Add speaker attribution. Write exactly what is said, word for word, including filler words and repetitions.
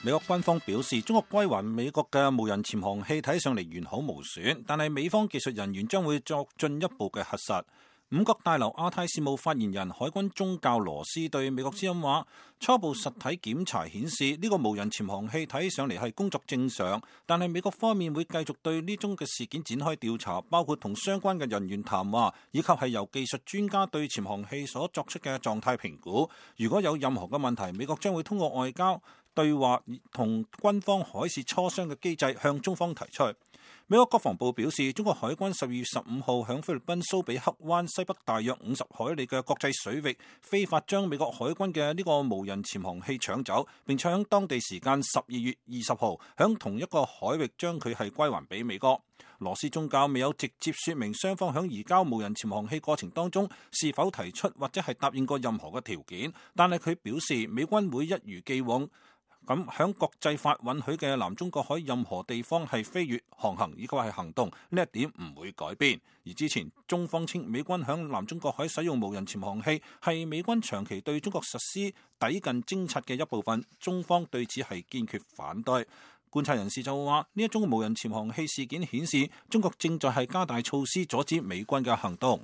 Speaker 1: 美國軍方表示，中國歸還美國嘅無人潛航器睇上嚟完好無損，但係美方技術人員將會作進一步嘅核實。五角大樓亞太事務發言人海軍中校羅斯對美國之音話：初步實體檢查顯示呢個無人潛航器睇上嚟係工作正常，但係美國方面會繼續對呢宗嘅事件展開調查，包括同相關嘅人員談話，以及係由技術專家對潛航器所作出嘅狀態評估。如果有任何嘅問題，美國將會通過外交對話同軍方海事磋商嘅機制向中方提出。美國國防部表示，中國海軍十二月十五號響菲律賓蘇比克灣西北大約五十海里嘅國際水域非法將美國海軍嘅呢個無人潛航器搶走，並且響當地時間十二月二十號響同一個海域將佢係歸還俾美國。羅斯中校未有直接說明雙方響移交無人潛航器過程當中是否提出或者係答應過任何嘅條件，但係佢表示美軍會一如既往咁響國際法允許嘅南中國海任何地方係飛越、航行以及係行動，呢一點唔會改變。而之前中方稱美軍響南中國海使用無人潛航器係美軍長期對中國實施抵近偵察嘅一部分，中方對此係堅決反對。觀察人士就話，呢一宗無人潛航器事件顯示中國正在係加大措施阻止美軍嘅行動。